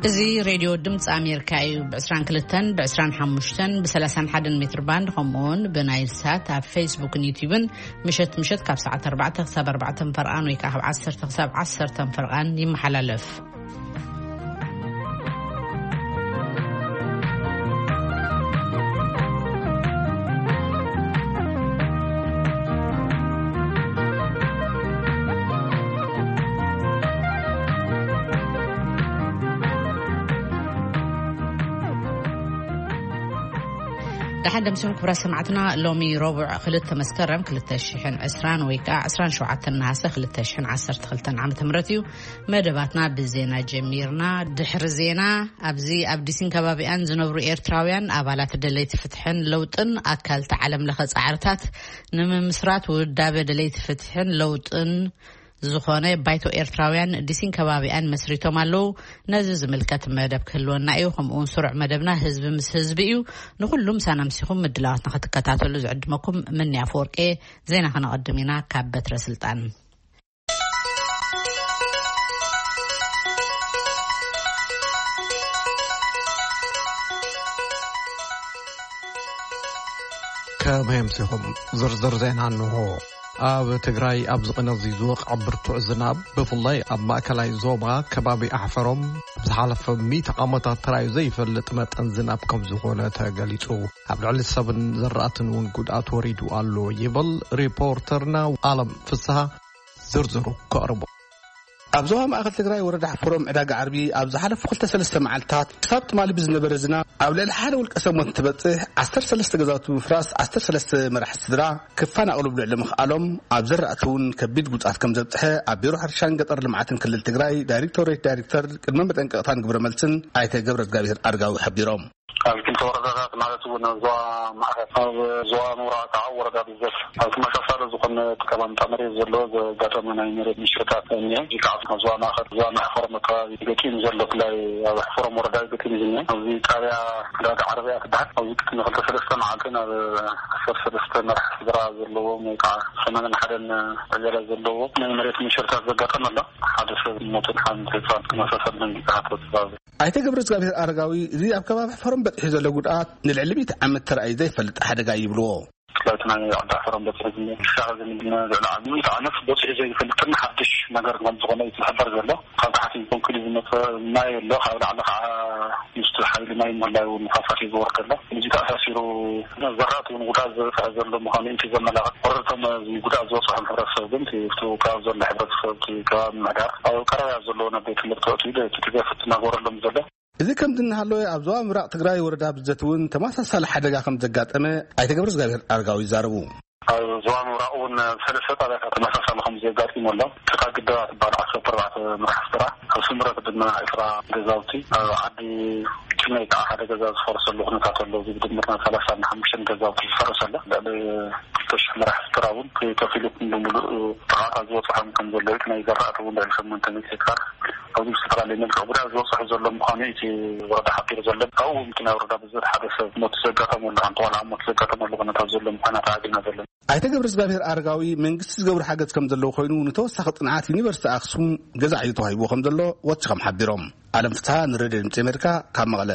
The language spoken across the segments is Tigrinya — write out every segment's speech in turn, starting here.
እዚ ሬድዮ ድምፂ ኣሜሪካ እዩ። ብ22፣ ብ25፣ ብ31 ሜትር ባንድ፣ ከምኡውን ብናይል ሳት ኣብ ፌስቡክን ዩቲዩብን ምሸት ምሸት ካብ ሰዓት ኣርባዕተ ክሳብ ኣርባዕተ ፈርቓን ወይ ከዓ ካብ ዓሰርተ ክሳብ ዓሰርተ ፈርቓን ይመሓላለፍ። ደሓን ደምሲኹም ክቡራት ሰማዕትና። ሎሚ ረቡዕ ክልተ መስከረም ክልተ ሽሕን ዕስራን ወይ ከዓ ዕስራን ሸውዓተን ነሃሰ ክልተ ሽሕን ዓሰርተ ክልተን ዓመተ ምህረት እዩ። መደባትና ብዜና ጀሚርና። ድሕሪ ዜና፣ ኣብዚ ኣብ ዲሲን ከባቢኣን ዝነብሩ ኤርትራውያን ኣባላት ደለይቲ ፍትሕን ለውጥን ኣካል እቲ ዓለም ለኸ ጻዕርታት ንምምስራት ውዳበ ደለይቲ ፍትሕን ለውጥን ዝኾነ ባይቶ ኤርትራውያን ዲሲን ከባቢኣን መስሪቶም ኣለዉ። ነዚ ዝምልከት መደብ ክህልወና እዩ። ከምኡውን ስሩዕ መደብና ህዝቢ ምስ ህዝቢ እዩ። ንኹሉ ምሳና ምሲኹም ምድላዋትና ክትከታተሉ ዝዕድመኩም ምንያ ኣፈወርቄ። ዜና ከነቐድም ኢና ካብ በትረ ስልጣን። ከመይ ኣምሲኹም? ዝርዝር ዜና እንሆ። ኣብ ትግራይ ኣብዚ ቅነ እዚ ዝወቕዐ ብርቱዕ ዝናብ፣ ብፍላይ ኣብ ማእከላይ ዞባ ከባቢ ኣሕፈሮም፣ ኣብ ዝሓለፈ ሚእቲ ዓመታት ተራእዩ ዘይፈልጥ መጠን ዝናብ ከም ዝኾነ ተገሊጹ። ኣብ ልዕሊ ሰብን ዘራእትን እውን ጉድኣት ወሪዱ ኣሎ ይብል ሪፖርተርና ኣለም ፍስሃ። ዝርዝሩ ከቕርቦ። ኣብ ዞባ ማእከል ትግራይ ወረዳ ኣሕፈሮም ዕዳጋ ዓርቢ ኣብ ዝሓለፉ ክልተ ሰለስተ መዓልታት ክሳብ ትማሊ ብዝነበረ ዝናብ ኣብ ልዕሊ ሓደ ውልቀ ሰብ ሞት እንትበጽሕ፣ ዓሰርተ ሰለስተ ገዛውቲ ብምፍራስ ዓሰርተ ሰለስተ መራሕቲ ስድራ ክፈናቐሉ ብልዕሊ ምኽኣሎም፣ ኣብ ዘራእቲ እውን ከቢድ ጉድኣት ከም ዘብጽሐ ኣብ ቢሮ ሕርሻን ገጠር ልምዓትን ክልል ትግራይ ዳይሬክቶሬት ዳይሬክተር ቅድመ መጠንቀቕታን ግብረ መልስን ኣይተ ገብረ እግዚኣብሔር ኣርጋዊ ሓቢሮም። ኣብ ክልተ ወረዳታት ማለት እውን ኣብ ዞባ ማእከል፣ ኣብ ዞባ ምብራቕ ከዓ ወረዳ ብዘት ኣብ ተመሳሳሊ ዝኾነ እቲ ከባምጣ መሬት ዘሎ ዘጋጠመ ናይ መሬት ምሽርታት እኒሀ። እዚ ከዓ ኣብ ዞባ ማእከል፣ ዞባ ማሕፈሮም ኣካባቢ ገጢሙ ዘሎ፣ ብፍላይ ኣብ ኣሕፈሮም ወረዳ እዩ ገጢሙ ዝኒሀ። ኣብዚ ጣብያ ዕዳጋ ዓረብያ ትበሃል። ኣብዚ ቅድሚ ክልተ ሰለስተ መዓልቲ ናብ ዓሰርተ ሰለስተ መራሕ ስድራ ዘለዎም ወይ ከዓ ሰማንያን ሓደን ዕያላት ዘለዎም ናይ መሬት ምሽርታት ዘጋጠመ ኣሎ። ሓደ ሰብ ሞትን ሓንቲ ህፃን ተመሳሳሊ ደንጊፅታት ተዛዘ። ኣይተ ገብረ እግዚኣብሔር ኣረጋዊ፣ እዚ ኣብ ከባቢ ሕፈሮም በፂሑ ዘሎ ጉድኣት ንልዕሊ ሚእቲ ዓመት ተራእዩ ዘይፈልጥ ሓደጋ ይብልዎ። ብፍላይ እቲ ናይ ዓዲ ሕፈሮም በፂሑ ዝኒሀ፣ ክሻዕ ዝኒ ልዕሊ ዓዲ ሚእቲ ዓመት በፂሑ ዘይፈልጥን ሓድሽ ነገር ከም ዝኾነ እዩ ዝሕበር ዘሎ። ካብ ታሕቲ ኮንክሪት ዝመፀ ማይ ኣሎ፣ ካብ ላዕሊ ከዓ ምስቲ ሓይሊ ማይ ምህላው ንፋሳት እዩ ዝወርድ ዘሎ። እዚ ተኣሳሲሩ ዘራእቲ እውን ጉድኣት ዝበፅሐ ዘሎ ምዃኑ እዩ ዘመላኽት። ወረድቶም እዚ ጉድኣት ዝበፅሖም ሕብረተሰብ ግን እቲ ኣብቲ ከባቢ ዘሎ ሕብረተሰብ፣ እቲ ከባቢ ምምሕዳር ኣብ ቀረባ ዘለዉ ናብ ቤት ትምህርቲ ኣእትዩ እቲ ድጋፍ እናገበረሎም ዘሎ። እዚ ከምዚ እናሃለወ፣ ኣብ ዞባ ምብራቕ ትግራይ ወረዳ ብዘት እውን ተመሳሳሊ ሓደጋ ከም ዘጋጠመ ኣይተ ገብረ እግዚኣብሔር ኣረጋዊ ይዛረቡ። ኣብ ዞባ ምብራቕ እውን ሰለስተ ጣብያታት ተመሳሳሊ ከም ዘጋጢሙ ኣሎ። ጭቃ ግደባ ትበሃል ዓሰርተ ኣርባዕተ መራሕ ስድራ፣ ኣብ ስምረት ድማ ዕስራ ገዛውቲ፣ ኣብ ዓዲ ጭመይ ከዓ ሓደ ገዛ ዝፈረሰሉ ኩነታት ኣሎ። እዚ ብድምር ናይ ሰላሳን ሓሙሽተን ገዛውቲ ዝፈረሰ ኣሎ። ልዕሊ ክልተ ሽሕ መራሕ ስድራ እውን ከፊሉ ሙሉ ብሙሉእ ጥቕዓት ዝበፅሖም ከም ዘሎ፣ እቲ ናይ ዘራእቲ እውን ልዕሊ ሸሞንተ ሚእቲ ሄክታር ኣብዚ ብዝተፈላለየ መልክዕ ጉድኣት ዝበፅሖ ዘሎ ምዃኑ እቲ ወረዳ ሓቢሩ ዘሎ። ካብኡ እውን እቲ ናይ ወረዳ ብዘት ሓደ ሰብ ሞት ዘጋጠመሉ፣ ሓንቲ ቆልዓ ሞት ዘጋጠመሉ ኩነታት ዘሎ ምዃና ተዓዚብና ዘለና። ኣይተ ገብረ እግዚኣብሔር ኣረጋዊ፣ መንግስቲ ዝገብሮ ሓገዝ ከም ዘለዎ ኮይኑ፣ ንተወሳኺ ፅንዓት ዩኒቨርሲቲ ኣክሱም ገዛ ዕዮ ተዋሂብዎ ከም ዘሎ ወሲኾም ሓቢሮም። ኣለም ፍትሃ ንሬድዮ ድምፂ ኣሜሪካ ካብ መቐለ።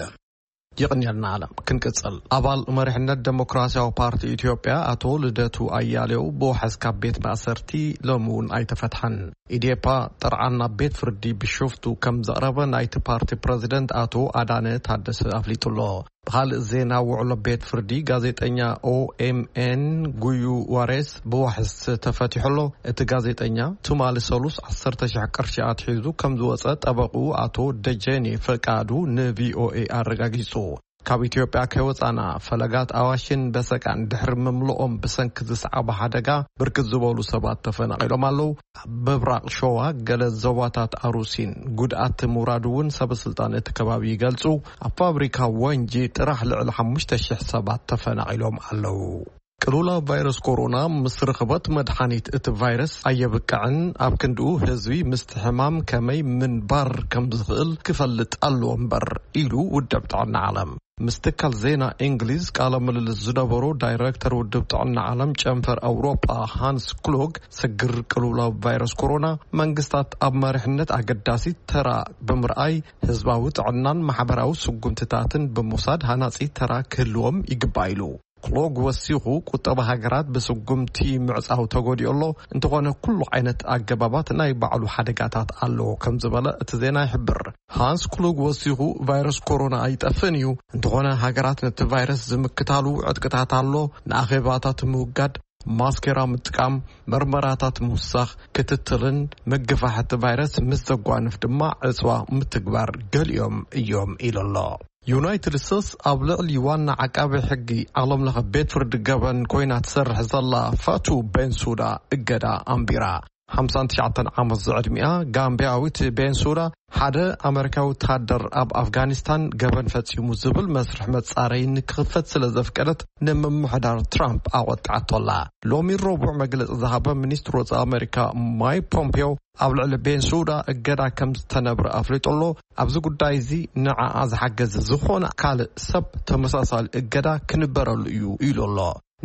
የቕንየልና ኣለም። ክንቅጽል፣ ኣባል መሪሕነት ደሞክራሲያዊ ፓርቲ ኢትዮጵያ ኣቶ ልደቱ ኣያሌው ብዋሕስ ካብ ቤት ማእሰርቲ ሎሚ እውን ኣይተፈትሐን። ኢዴፓ ጥርዓን ናብ ቤት ፍርዲ ብሽፍቱ ከም ዘቕረበ ናይቲ ፓርቲ ፕረዚደንት ኣቶ ኣዳነ ታደሰ ኣፍሊጡ ኣሎ። ብኻልእ ዜና፣ ውዕሎ ቤት ፍርዲ ጋዜጠኛ ኦኤምኤን ጉዩ ዋሬስ ብዋሕስ ተፈቲሑ ኣሎ። እቲ ጋዜጠኛ ትማሊ ሰሉስ ዓሰርተ ሺሕ ቅርሺ ኣትሒዙ ከም ዝወጸ ጠበቕኡ ኣቶ ደጀኔ ፈቃዱ ንቪኦኤ ኣረጋጊጹ። ካብ ኢትዮጵያ ከይወጻና፣ ፈለጋት ኣዋሽን በሰቃን ድሕሪ ምምልኦም ብሰንኪ ዝሰዓበ ሓደጋ ብርክት ዝበሉ ሰባት ተፈናቒሎም ኣለዉ። ኣብ ምብራቕ ሸዋ ገለ ዞባታት ኣሩሲን ጉድኣት ምውራዱ እውን ሰበስልጣን እቲ ከባቢ ይገልጹ። ኣብ ፋብሪካ ወንጂ ጥራሕ ልዕሊ ሓሙሽተ ሽሕ ሰባት ተፈናቒሎም ኣለዉ። ቅልውላው ቫይረስ ኮሮና ምስ ርኽበት መድሓኒት እቲ ቫይረስ ኣየብቅዕን፣ ኣብ ክንድኡ ህዝቢ ምስቲ ሕማም ከመይ ምንባር ከም ዝኽእል ክፈልጥ ኣለዎ እምበር፣ ኢሉ ውድብ ጥዕና ዓለም። ምስ ትካል ዜና እንግሊዝ ቃለ ምልልስ ዝነበሩ ዳይረክተር ውድብ ጥዕና ዓለም ጨንፈር ኣውሮጳ ሃንስ ክሎግ፣ ስግር ቅልውላው ቫይረስ ኮሮና መንግስታት ኣብ መሪሕነት ኣገዳሲ ተራ ብምርኣይ፣ ህዝባዊ ጥዕናን ማሕበራዊ ስጉምትታትን ብምውሳድ ሃናጺ ተራ ክህልዎም ይግባእ ኢሉ። ክሎግ ወሲኹ፣ ቁጠባ ሃገራት ብስጉምቲ ምዕጻው ተጎዲኡ ኣሎ፣ እንተኾነ ኩሉ ዓይነት ኣገባባት ናይ ባዕሉ ሓደጋታት ኣለዎ ከም ዝበለ እቲ ዜና ይሕብር። ሃንስ ክሎግ ወሲኹ፣ ቫይረስ ኮሮና ኣይጠፍእን እዩ፣ እንተኾነ ሃገራት ነቲ ቫይረስ ዝምክታሉ ዕጥቅታት ኣሎ፣ ንኣኼባታት ምውጋድ፣ ማስኬራ ምጥቃም፣ መርመራታት ምውሳኽ፣ ክትትልን ምግፋሕ እቲ ቫይረስ ምስ ዘጓንፍ ድማ ዕጽዋ ምትግባር ገሊኦም እዮም ኢሉ ኣሎ። ዩናይትድ ስቴትስ ኣብ ልዕሊ ዋና ዓቃቢ ሕጊ ዓለም ለኸ ቤት ፍርዲ ገበን ኮይና ትሰርሕ ዘላ ፋቱ ቤንሱዳ እገዳ ኣንቢራ። ሓምሳን ትሽዓተን ዓመት ዝዕድሚኣ ጋምቢያዊት ቤንሱዳ፣ ሓደ ኣመሪካዊ ወታደር ኣብ ኣፍጋኒስታን ገበን ፈጺሙ ዝብል መስርሕ መጻረዪ ንክኽፈት ስለ ዘፍቀደት፣ ንምምሕዳር ትራምፕ ኣቆጥዓቶ ኣላ። ሎሚ ረቡዕ መግለጺ ዝሃበ ሚኒስትር ወጻኢ ኣመሪካ ማይክ ፖምፔዮ፣ ኣብ ልዕሊ ቤንሱዳ እገዳ ከም ዝተነብረ ኣፍሊጡ ኣሎ። ኣብዚ ጉዳይ እዚ ንዓኣ ዝሓገዘ ዝኾነ ካልእ ሰብ ተመሳሳሊ እገዳ ክንበረሉ እዩ ኢሉ ኣሎ።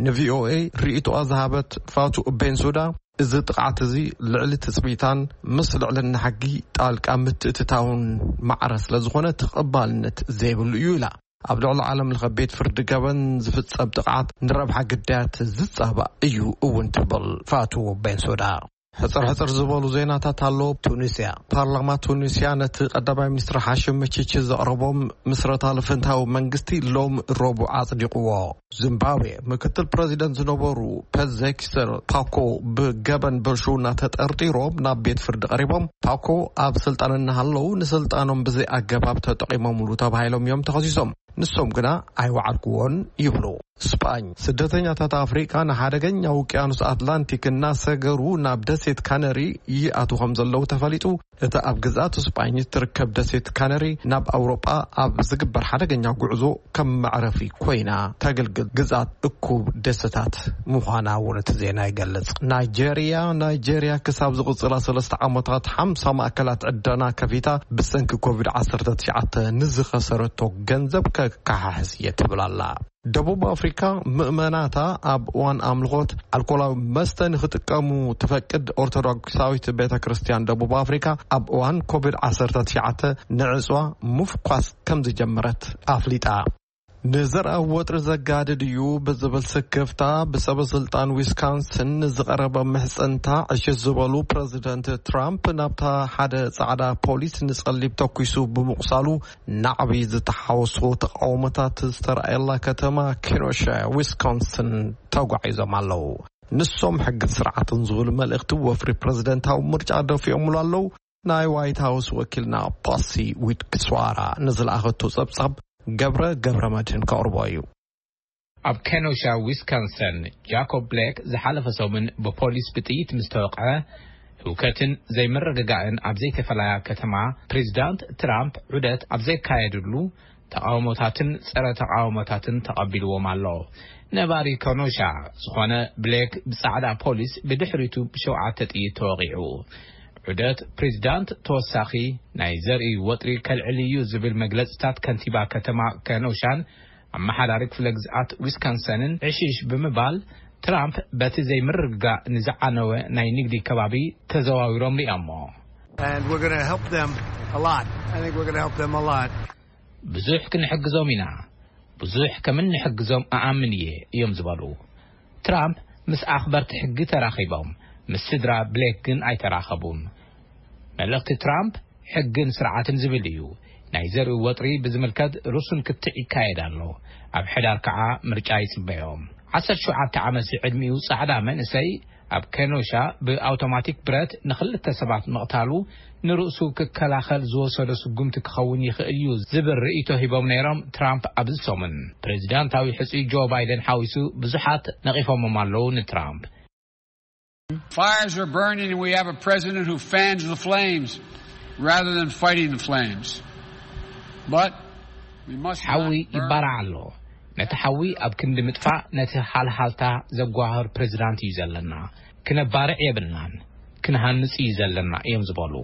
ንቪኦኤ ርእይቶኣ ዝሃበት ፋቱ ቤንሱዳ፣ እዚ ጥቕዓት እዚ ልዕሊ ትጽቢታን ምስ ልዕልና ሕጊ ጣልቃ ምትእትታውን ማዕረ ስለ ዝኾነ ተቐባልነት ዘይብሉ እዩ ኢላ። ኣብ ልዕሊ ዓለም ለኸ ቤት ፍርዲ ገበን ዝፍጸም ጥቕዓት ንረብሓ ግዳያት ዝጻባእ እዩ እውን ትብል ፋቱ ቤንሱዳ። ሕጽር ሕጽር ዝበሉ ዜናታት ኣሎ። ቱኒስያ፣ ፓርላማ ቱኒስያ ነቲ ቀዳማይ ሚኒስትር ሓሽም መቺቺ ዘቕረቦም ምስረታ ልፍንታዊ መንግስቲ ሎም ረቡዕ ኣጽዲቕዎ። ዚምባብዌ፣ ምክትል ፕረዚደንት ዝነበሩ ፐዘኪሰር ፓኮ ብገበን ብልሽውና ተጠርጢሮም ናብ ቤት ፍርዲ ቀሪቦም። ፓኮ ኣብ ስልጣን እናሃለዉ ንስልጣኖም ብዘይ ኣገባብ ተጠቒሞምሉ ተባሂሎም እዮም ተኸሲሶም። ንሶም ግና ኣይወዓልክዎን ይብሉ። ስጳኝ፣ ስደተኛታት ኣፍሪቃ ንሓደገኛ ውቅያኖስ ኣትላንቲክ እናሰገሩ ናብ ደሴት ካነሪ ይኣትዉ ከም ዘለዉ ተፈሊጡ። እታ ኣብ ግዝኣት ስጳኝ እትርከብ ደሴት ካነሪ ናብ ኣውሮጳ ኣብ ዝግበር ሓደገኛ ጉዕዞ ከም መዕረፊ ኮይና ተገልግል ግዝኣት እኩብ ደሴታት ምዃና እውን እቲ ዜና ይገልጽ። ናይጄርያ፣ ናይጄርያ ክሳብ ዝቕጽላ ሰለስተ ዓመታት ሓምሳ ማእከላት ዕደና ከፊታ ብሰንኪ ኮቪድ ዓሰርተ ትሽዓተ ንዝኸሰረቶ ገንዘብ ከከሓሕስ እየ ትብል ኣላ። ደቡብ ኣፍሪካ፣ ምእመናታ ኣብ እዋን ኣምልኾት ኣልኮላዊ መስተ ንኽጥቀሙ ትፈቅድ ኦርቶዶክሳዊት ቤተ ክርስቲያን ደቡብ ኣፍሪካ፣ ኣብ እዋን ኮቪድ ዓሰርተ ትሽዓተ ንዕጽዋ ምፍኳስ ከም ዝጀመረት ኣፍሊጣ። ንዘርኣ ወጥሪ ዘጋድድ እዩ ብዝብል ስክፍታ፣ ብሰበ ስልጣን ዊስካንስን ንዝቐረበ ምሕጽንታ ዕሽሽ ዝበሉ ፕረዚደንት ትራምፕ፣ ናብታ ሓደ ጻዕዳ ፖሊስ ንጸሊም ተኲሱ ብምቑሳሉ፣ ናዕቢ ዝተሓወሶ ተቓውሞታት ዝተራእየላ ከተማ ኬኖሻ ዊስኮንስን ተጓዒዞም ኣለዉ። ንሶም ሕግን ስርዓትን ዝብል መልእኽቲ ወፍሪ ፕረዚደንታዊ ምርጫ ደፊኦምሉ ኣለዉ። ናይ ዋይት ሃውስ ወኪልና ፓሲ ዊትክስዋራ ንዝለኣኸቶ ጸብጻብ ገብረ ገብረ መድህን ከቕርቦ እዩ። ኣብ ኬኖሻ ዊስካንሰን፣ ጃኮብ ብሌክ ዝሓለፈ ሰሙን ብፖሊስ ብጥይት ምስ ተወቕዐ፣ ህውከትን ዘይምርግጋእን ኣብ ዘይተፈለያ ከተማ፣ ፕሬዚዳንት ትራምፕ ዑደት ኣብ ዘካየድሉ፣ ተቓውሞታትን ጸረ ተቓውሞታትን ተቐቢልዎም ኣሎ። ነባሪ ኬኖሻ ዝኾነ ብሌክ፣ ብጻዕዳ ፖሊስ ብድሕሪቱ ብሸውዓተ ጥይት ተወቒዑ። ዑደት ፕሬዚዳንት ተወሳኺ ናይ ዘርኢ ወጥሪ ከልዕል እዩ ዝብል መግለጽታት ከንቲባ ከተማ ኬኖሻን ኣመሓዳሪ ክፍለ ግዝኣት ዊስካንሰንን ዕሽሽ ብምባል፣ ትራምፕ በቲ ዘይምርግጋእ ንዝዓነወ ናይ ንግዲ ከባቢ ተዘዋዊሮም ሪኦሞ። And we're going to help them a lot. I think we're going to help them a lot. ብዙሕ ክንሕግዞም ኢና። ብዙሕ ከም እንሕግዞም እኣምን እየ፣ እዮም ዝበሉ። ትራምፕ ምስ ኣኽበርቲ ሕጊ ተራኺቦም፣ ምስ ስድራ ብሌክ ግን ኣይተራኸቡን። መልእኽቲ ትራምፕ ሕግን ስርዓትን ዝብል እዩ። ናይ ዘርኢ ወጥሪ ብዝምልከት ርሱን ክትዕ ይካየድ ኣሎ። ኣብ ሕዳር ከዓ ምርጫ ይጽበዮም። ዓሰርተ ሸውዓተ ዓመት ዝዕድሚኡ ጻዕዳ መንእሰይ ኣብ ኬኖሻ ብኣውቶማቲክ ብረት ንኽልተ ሰባት ምቕታሉ ንርእሱ ክከላኸል ዝወሰዶ ስጉምቲ ክኸውን ይኽእል እዩ ዝብል ርእይቶ ሂቦም ነይሮም ትራምፕ ኣብዚ ሰሙን። ፕሬዚዳንታዊ ሕጹይ ጆ ባይደን ሓዊሱ ብዙሓት ነቒፎሞም ኣለዉ ንትራምፕ። Fires are burning, and we have a president who fans the flames rather than fighting the flames. But we must ሓዊ not burn ይባራዕ ኣሎ። ነቲ ሓዊ ኣብ ክንዲ ምጥፋእ ነቲ ሃልሃልታ ዘጓህር ፕሬዚዳንት እዩ ዘለና። ክነባርዕ የብልናን፣ ክንሃንጽ እዩ ዘለና እዮም ዝበሉ።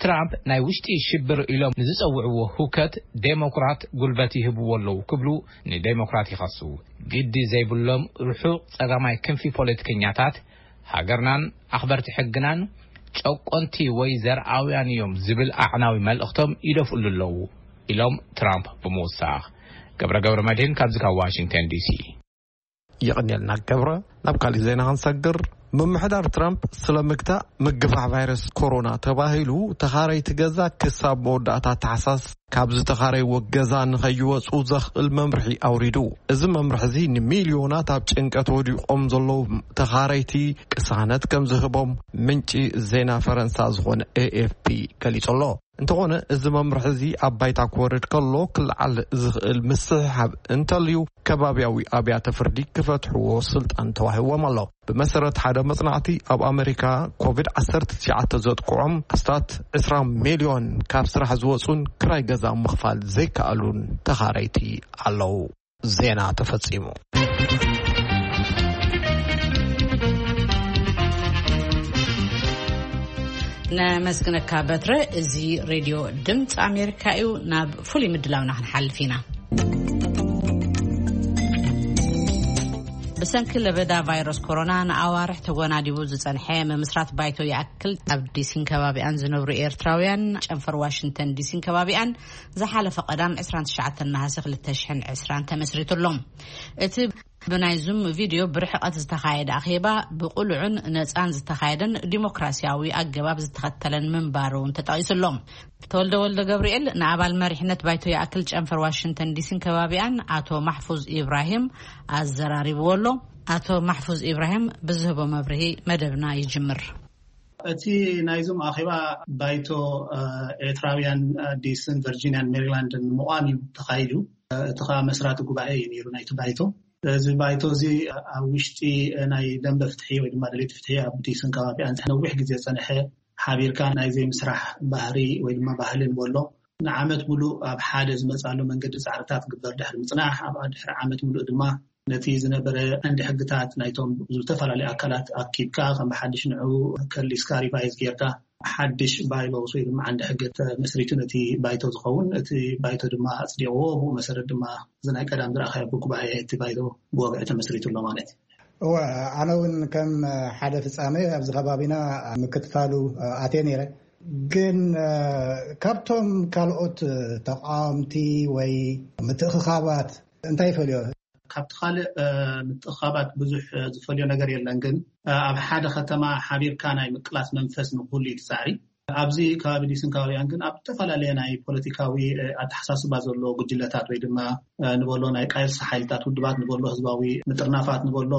ትራምፕ ናይ ውሽጢ ሽብር ኢሎም ንዝጸውዕዎ ህውከት ዴሞክራት ጉልበት ይህብዎ ኣለዉ ክብሉ ንዴሞክራት ይኸሱ። ግዲ ዘይብሎም ርሑቕ ጸጋማይ ክንፊ ፖለቲከኛታት ሃገርናን ኣኽበርቲ ሕግናን ጨቆንቲ ወይ ዘርኣውያን እዮም ዝብል ኣዕናዊ መልእኽቶም ይደፍእሉ ኣለዉ ኢሎም ትራምፕ ብምውሳኽ። ገብረ ገብረ መድህን ካብዚ ካብ ዋሽንግተን ዲሲ። የቐንየልና ገብረ። ናብ ካሊእ ዜና ክንሰግር፣ ምምሕዳር ትራምፕ ስለ ምግታእ ምግፋሕ ቫይረስ ኮሮና ተባሂሉ ተኻረይቲ ገዛ ክሳብ መወዳእታ ታሕሳስ ካብ ዝተኻረይዎ ገዛ ንኸይወፁ ዘኽእል መምርሒ ኣውሪዱ። እዚ መምርሒ እዚ ንሚልዮናት ኣብ ጭንቀት ወዲቖም ዘለዉ ተኻረይቲ ቅሳነት ከም ዝህቦም ምንጪ ዜና ፈረንሳ ዝኾነ ኤኤፍፒ ገሊጹ ኣሎ። እንተኾነ፣ እዚ መምርሒ እዚ ኣብ ባይታ ክወርድ ከሎ ክለዓል ዝኽእል ምስሕሓብ እንተልዩ፣ ከባብያዊ ኣብያተ ፍርዲ ክፈትሕዎ ስልጣን ተዋሂብዎም ኣሎ። ብመሰረት ሓደ መጽናዕቲ፣ ኣብ ኣመሪካ ኮቪድ ዓሰርተ ትሽዓተ ዘጥቅዖም ኣስታት ዕስራ ሚልዮን ካብ ስራሕ ዝወጹን ክራይ ገዛ ምኽፋል ዘይከኣሉን ተኻረይቲ ኣለዉ። ዜና ተፈጺሙ። ነመስግነካ በትረ። እዚ ሬድዮ ድምፂ ኣሜሪካ እዩ። ናብ ፍሉይ ምድላውና ክንሓልፍ ኢና። ብሰንኪ ለበዳ ቫይረስ ኮሮና ንኣዋርሕ ተጎናዲቡ ዝጸንሐ ምምስራት ባይቶ ይኣክል ኣብ ዲሲን ከባቢኣን ዝነብሩ ኤርትራውያን ጨንፈር ዋሽንግተን ዲሲን ከባቢኣን ዝሓለፈ ቀዳም ዕስራን ትሽዓተን ነሃሰ ክልተ ሽሕን ዕስራን ተመስሪቱ ኣሎ። እቲ ብናይ ዙም ቪድዮ ብርሕቐት ዝተኻየደ ኣኼባ ብቕሉዕን ነጻን ዝተኻየደን ዲሞክራሲያዊ ኣገባብ ዝተኸተለን ምንባሩ እውን ተጠቒሱ ኣሎ። ተወልደ ወልደ ገብርኤል ንኣባል መሪሕነት ባይቶ ይኣክል ጨንፈር ዋሽንግተን ዲሲን ከባቢኣን ኣቶ ማሕፉዝ ኢብራሂም ኣዘራሪብዎ ኣሎ። ኣቶ ማሕፉዝ ኢብራሂም ብዝህቦ መብርሂ መደብና ይጅምር። እቲ ናይ ዙም ኣኼባ ባይቶ፣ እ፣ ኤርትራውያን፣ እ፣ ዲስን ቨርጂንያን ሜሪላንድን ንምቋም እዩ ተኻይዱ። እ፣ እቲ ኸኣ መስራቲ ጉባኤ እዩ ነይሩ ናይቲ ባይቶ። እዚ ባይቶ እዚ ኣብ ውሽጢ ናይ ደንበ ፍትሒ ወይ ድማ ደለይቲ ፍትሒ ኣብ ዲስን ከባቢኣን ነዊሕ ግዜ ዝጸንሐ ሓቢርካ ናይ ዘይምስራሕ ባህሪ ወይ ድማ ባህሊ ንበሎ ንዓመት ሙሉእ ኣብ ሓደ ዝመጻሉ መንገዲ ጻዕርታት ክግበር ድሕሪ ምጽናሕ፣ ኣብ ድሕሪ ዓመት ሙሉእ ድማ ነቲ ዝነበረ ዓንዲ ሕግታት ናይቶም ዝተፈላለዩ ኣካላት ኣኪብካ ከም ብሓድሽ ንዕኡ ከሊስካ ሪቫይዝ ጌርካ ሓድሽ ባይሎስ ወይ ድማ ዓንዲ ሕገ ተመስሪቱ ነቲ ባይቶ ዝኸውን፣ እቲ ባይቶ ድማ ኣጽዲቕዎ። ብኡ መሰረት ድማ እዚ ናይ ቀዳም ዝረኣኻዮ ብጉባኤ እቲ ባይቶ ብወግዒ ተመስሪቱ ኣሎ ማለት እዩ። እወ፣ ኣነ እውን ከም ሓደ ፍጻመ ኣብዚ ከባቢና ምክትታሉ ኣትየ ነይረ። ግን ካብቶም ካልኦት ተቃወምቲ ወይ ምትእኽኻባት እንታይ ይፈልዮ? ካብቲ ካልእ፣ እ፣ ምትእኻባት ብዙሕ፣ እ፣ ዝፈልዮ ነገር የለን። ግን፣ እ፣ ኣብ ሓደ ከተማ ሓቢርካ ናይ ምቅላስ መንፈስ ንክህሉ እዩ እቲ ጻዕሪ። ኣብዚ ከባቢ ዲስን ከባቢኣን ግን ኣብ ዝተፈላለየ ናይ ፖለቲካዊ፣ እ፣ ኣተሓሳስባ ዘለዎ ጉጅለታት ወይ ድማ፣ እ፣ ንበሎ ናይ ቃልሲ ሓይልታት ውድባት ንበሎ ህዝባዊ ምጥርናፋት ንበሎ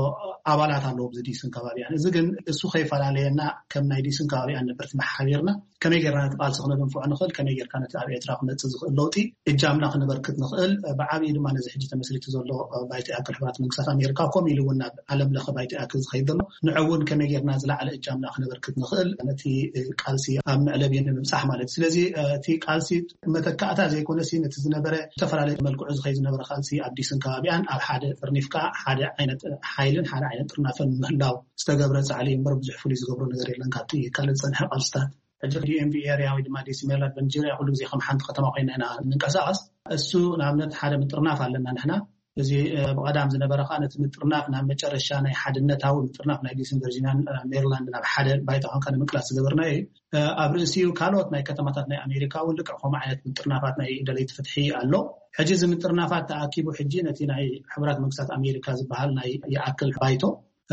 ኣባላት ኣለዉ ኣብዚ ዲስን ከባቢኣን። እዚ ግን እሱ ከይፈላለየና ከም ናይ ዲስን ከባቢኣን ነበርቲ መሓቢርና ከመይ ጌርና ነቲ ቃልሲ ክነድንፍዖ ንኽእል፣ ከመይ ጌርካ ነቲ ኣብ ኤርትራ ክመጽእ ዝኽእል ለውጢ እጃምና ክነበርክት ንኽእል፣ ብዓብዪ ድማ ነዚ ሕጂ ተመስሪቱ ዘሎ ባይቶ ይኣክል ሕቡራት መንግስታት ኣሜሪካ፣ ከምኡ ኢሉ እውን ናብ ዓለም ለኸ ባይቶ ይኣክል ዝኸይድ ዘሎ ንዑ እውን ከመይ ጌርና ዝለዓለ እጃምና ክነበርክት ንኽእል፣ ነቲ ቃልሲ ኣብ መዕለቢ ንምብጻሕ ማለት እዩ። ስለዚ እቲ ቃልሲ መተካእታ ዘይኮነሲ ነቲ ዝነበረ ዝተፈላለየ መልክዑ ዝኸይድ ዝነበረ ቃልሲ ኣብ ዲስን ከባቢኣን ኣብ ሓደ ጥርኒፍካ ሓደ ዓይነት ሓይልን ሓደ ዓይነት ጥርናፈን ምህላው ዝተገብረ ጻዕሊ እዩ እምበር ብዙሕ ፍሉይ ዝገብሮ ነገር የለን ካብቲ ካልእ ዝጸንሐ ቃልስታት። ሕጂ ዲኤምቪ ኤርያ ወይ ድማ ዲሲ ሜሪላንድ ቨርጂኒያ ኩሉ ግዜ ከም ሓንቲ ከተማ ኮይና ኢና እንንቀሳቐስ። እሱ ንኣብነት ሓደ ምጥርናፍ ኣለና ንሕና። እዚ፣ እ፣ ብቐዳም ዝነበረ ከኣ ነቲ ምጥርናፍ ናብ መጨረሻ ናይ ሓድነታዊ ምጥርናፍ ናይ ዲስን ቨርጂኒያን፣ እ፣ ሜሪላንድ ናብ ሓደ ባይታ ኮንካ ንምቅላስ ዝገበርናዮ እዩ። እ፣ ኣብ ርእሲኡ ካልኦት ናይ ከተማታት ናይ ኣሜሪካ እውን ልክዕ ከምኡ ዓይነት ምጥርናፋት ናይ ደለይቲ ፍትሒ ኣሎ። ሕጂ እዚ ምጥርናፋት ተኣኪቡ ሕጂ ነቲ ናይ ሕቡራት መንግስታት ኣሜሪካ ዝበሃል ናይ ይኣክል ባይቶ፣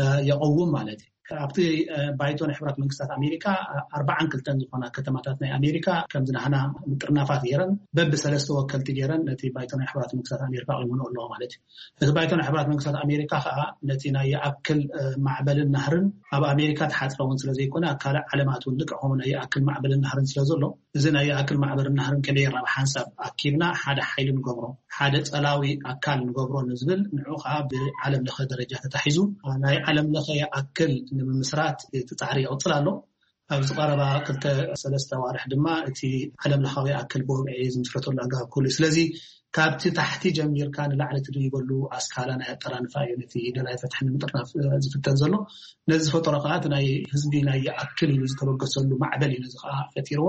እ፣ የቐውም ማለት እዩ። ኣብቲ፣ እ፣ ባይቶ ናይ ሕቡራት መንግስታት ኣሜሪካ፣ እ፣ ኣርባዓን ክልተን ዝኾና ከተማታት ናይ ኣሜሪካ ከምዚ ናህና ምጥርናፋት ገይረን በብሰለስተ ወከልቲ ገይረን ነቲ ባይቶ ናይ ሕቡራት መንግስታት ኣሜሪካ ቆይመንኦ ኣለዎ ማለት እዩ። እቲ ባይቶ ናይ ሕቡራት መንግስታት ኣሜሪካ ከዓ ነቲ ናይ ይኣክል፣ እ፣ ማዕበልን ናህርን ኣብ ኣሜሪካ ተሓፅረ እውን ስለ ዘይኮነ ኣብ ካልእ ዓለማት እውን ልክዕ ከምኡ ናይ ይኣክል ማዕበልን ናህርን ስለ ዘሎ እዚ ናይ ይኣክል ማዕበልን ናህርን ከመይ ጌርና ብሓንሳብ ኣኪብና ሓደ ሓይሊ ንገብሮ፣ ሓደ ጸላዊ ኣካል ንገብሮ ንዝብል ንዑ ከዓ ብዓለም ለኸ ደረጃ ተታሒዙ ናይ ዓለም ለኸ ይኣክል ንምምስራት እቲ ጻዕሪ ይቕጽል ኣሎ። ኣብዚ ቀረባ ክልተ ሰለስተ ኣዋርሕ ድማ እቲ ዓለም ለኻዊ ይኣክል ብወግዒ ዝምስረተሉ ኣገባብ ክህሉ እዩ። ስለዚ ካብቲ ታሕቲ ጀሚርካ ንላዕሊ ትድይበሉ ኣስካላ ናይ ኣጠራንፋ እዩ ነቲ ደላይ ፍትሒ ንምጥርናፍ ዝፍተን ዘሎ። ነዚ ዝፈጠሮ ከዓ እቲ ናይ ህዝቢ ናይ ይኣክል ኢሉ ዝተበገሰሉ ማዕበል እዩ ነዚ ከዓ ፈጢርዎ።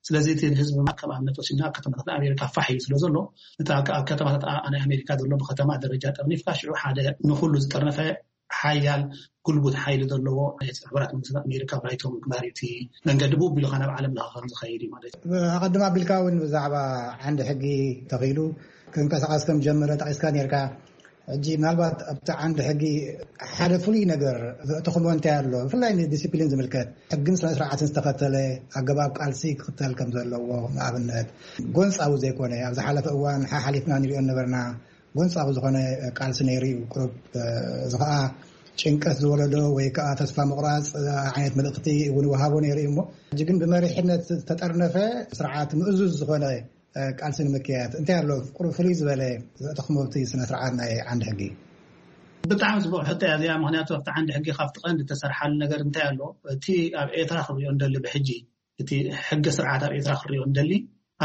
ስለዚ እቲ ህዝቢ ከም ኣብነት ወሲድና ኣብ ከተማታት ኣሜሪካ ፋሕ ኢሉ ስለ ዘሎ፣ እቲ ኣብ ከተማታት ናይ ኣሜሪካ ዘሎ ብከተማ ደረጃ ጠርኒፍካ ሽዑ ሓደ ንኩሉ ዝጠርነፈ ሓያል ጉልቡት ሓይሊ ዘለዎ ናይ ሕቡራት መንግስታት ኣሜሪካ ባይቶ ምግባር እዩ እቲ መንገዲ ብኡ ቢሉካ ናብ ዓለም ለኸ ከም ዝኸይድ እዩ ማለት እዩ። ኣቐድም ኣቢልካ እውን ብዛዕባ ዓንዲ ሕጊ ተኽኢሉ ክንቀሳቐስ ከም ጀመረ ጠቂስካ ነርካ። ሕጂ ምናልባት ኣብቲ ዓንዲ ሕጊ ሓደ ፍሉይ ነገር ዘእተኽሞ እንታይ ኣሎ? ብፍላይ ንዲሲፕሊን ዝምልከት ሕግን ስነ ስርዓትን ዝተኸተለ ኣገባብ ቃልሲ ክኽተል ከም ዘለዎ፣ ንኣብነት ጎንፃዊ ዘይኮነ ኣብ ዝሓለፈ እዋን ሓሓሊፍና ንሪኦ ነበርና ጎንፃዊ ዝኾነ ቃልሲ ነይሩ እዩ። ቁሩብ እዚ ከዓ ጭንቀት ዝወለዶ ወይ ከዓ ተስፋ ምቑራፅ ዓይነት መልእኽቲ እውን ይወሃቦ ነይሩ እዩ። እሞ ሕጂ ግን ብመሪሕነት ዝተጠርነፈ ስርዓት ምእዙዝ ዝኾነ ቃልሲ ንምክያድ እንታይ ኣሎ? ቁሩብ ፍልይ ዝበለ ዘእተኽሞ ኣብቲ ስነ ስርዓት ናይ ዓንዲ ሕጊ። ብጣዕሚ ፅቡቅ ሕቶ እያ እዚኣ። ምክንያቱ ኣብቲ ዓንዲ ሕጊ ካብቲ ቀንዲ ዝተሰርሓሉ ነገር እንታይ ኣሎ? እቲ ኣብ ኤርትራ ክሪኦ እንደሊ ብሕጂ እቲ ሕገ ስርዓት ኣብ ኤርትራ ክሪኦ እንደሊ